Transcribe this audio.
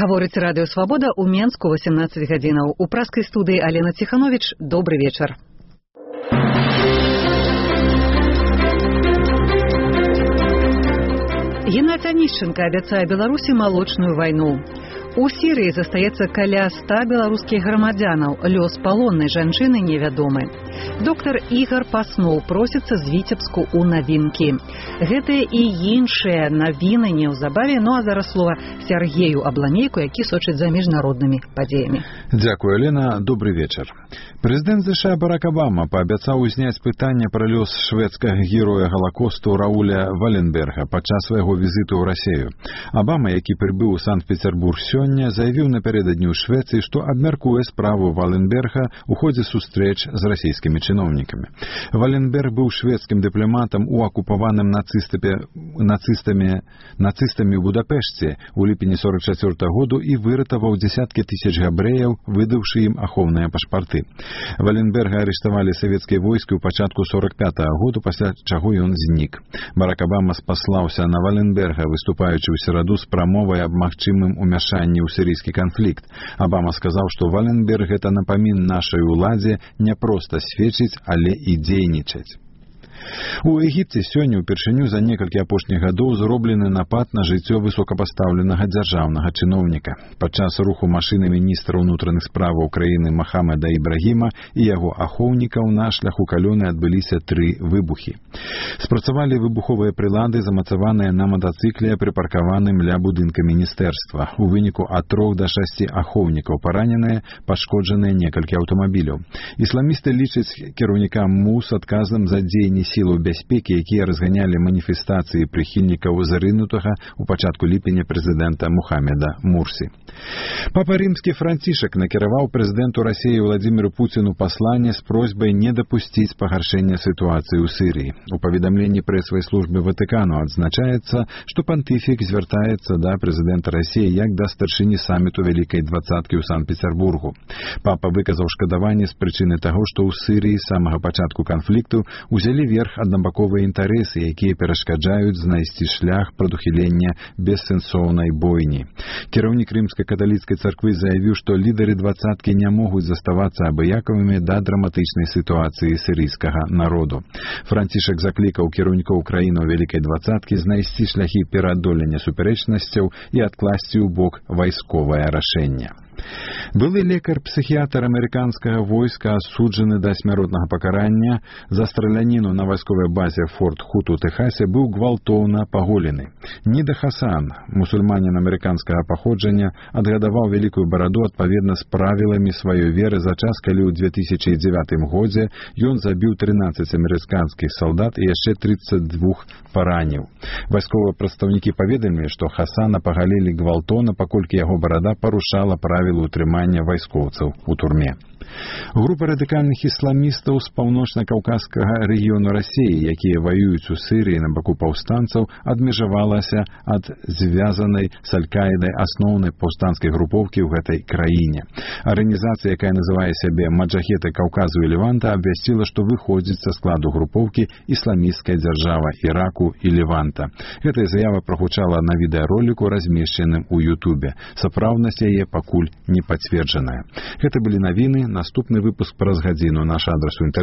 Гаворыць радыё «Свабода» ў Менску 18 гадзінаў. У праскай студыі Алена Ціхановіч. Добры вечар. Геннадзь Анішченка абяцае Беларусі малочную вайну. У Сірыі застаецца каля 100 беларускіх грамадзянаў. Лёс палоннай жанчыны невядомы. Доктар Ігар Пасноў просіцца з Віцебску ў навінкі. Гэтыя і іншыя навіны неўзабаве, а зараз слова Сергею Абламейку, які сочыць за міжнароднымі падзеямі. Дзякую, Алена. Добры вечар. Прэзідэнт США Барак Абама паабяцаў узняць пытанне пра лёс шведскага героя Галакосту Рауля Валенберга падчас свайго візіту ў Расію. Абама, які прыбыў у Санкт-Петербург сёння, заявіў напярэдадні ў Швецыі, што абмяркуе справу Валенберга ў ходзе сустрэч з расійскімі чыноўнікамі. Валенберг быў шведскім дыпламатам у акупаваным нацыстамі ў Будапешце ў ліпені 44 году і выратаваў дзесяткі тысяч габрэяў, выдаўшы ім ахоўныя пашпарты. Валенберга арыштавалі савецкія войскі ў пачатку 45 году, пасля чаго ён знік. Барак Абама спаслаўся на Валенберга, выступаючы ў сераду з прамовай аб магчымым умяшанні ў сірыйскі канфлікт. Абама сказаў, што Валенберг — гэта напамін нашай уладзе не проста сведчыць, але і дзейнічаць. У Егіпце сёння ўпершыню за некалькі апошніх гадоў зроблены напад на жыццё высокапастаўленага дзяржаўнага чыноўніка. Падчас руху машыны міністра ўнутраных справаў краіны Махамеда Ібрагіма і яго ахоўнікаў на шляху калёны адбыліся 3 выбухі. Спрацавалі выбуховыя прылады, замацаваныя на матацыкле, прыпаркаваным ля будынка міністэрства. У выніку ад 3 до 6 ахоўнікаў параненыя, пашкоджаныя некалькі аўтамабіляў. Ісламісты лічаць кіраўніка МУС адказным за дзеянні сілаў бяспекі, якія разганялі маніфестацыі прыхільнікаў зарынутага ў пачатку ліпеня прэзідэнта Мухаммеда Мурсі. Папа рымскі Францішак накіраваў прэзідэнту Расіі Владзіміру Пуціну пасланне з просьбай не дапусціць пагаршэння сітуацыі ў Сірыі. У паведамленні прэсавай службы Ватыкану адзначаецца, што пантыфік звяртаецца да прэзідэнта Расіі як да старшыні саміту Вялікай двадцаткі ў Санкт-Петербургу. Папа выказаў шкадаванне з прычыны таго, што ў Сірыі з самага пачатку канфлікту узялі верх аднабаковыя інтарэсы, якія перашкаджаюць знайсці шлях прадухілення бессэнсоўнай бойні. Кіраўнік рымска-каталіцкай царквы заявіў, што лідары двадцаткі не могуць заставацца абыякавымі да драматычнай сітуацыі сірыйскага народу. Францішак заклікаў кіраўнікоў краінаў Вялікай двадцаткі знайсці шляхі пераадолення супярэчнасцяў і адкласці ў бок вайсковае рашэнне. Былы лекар-псіхіятр амерыканскага войска, асуджаны да смяротнага пакарання за страляніну на вайсковай базе Форт Хут у Тэхасе, быў гвалтоўна паголены. Ніда Хасан, мусульманін амерыканскага паходжання, адгадаваў вялікую бараду адпаведна з правіламі сваёй веры за час, калі ў 2009 годзе ён забіў 13 амерыканскіх салдат і яшчэ 32 параніў. Вайсковыя прадстаўнікі паведамілі, што Хасана пагалілі гвалтоўна, паколькі яго барада парушала правілы утрымання вайскоўцаў у турме. Група радыкальных ісламістаў з паўночна-каўказскага рэгіёну Расіі, якія ваююць у Сірыі на баку паўстанцаў, адмежавалася ад звязанай з Аль-Каідай асноўнай паўстанцкай групоўкі ў гэтай краіне. Арганізацыя, якая называе сябе Маджахеты Каўказу і Леванта, абвясціла, што выходзіць са складу групоўкі ісламісцкая дзяржава Іраку і Леванта. Гэтая заява прагучала на відэароліку, размешчаным у Ютубе. Сапраўднасць яе пакуль не пацверджаная. Гэта былі навіны. Наступны выпуск праз гадзіну. Наш адрас у інтэрнэце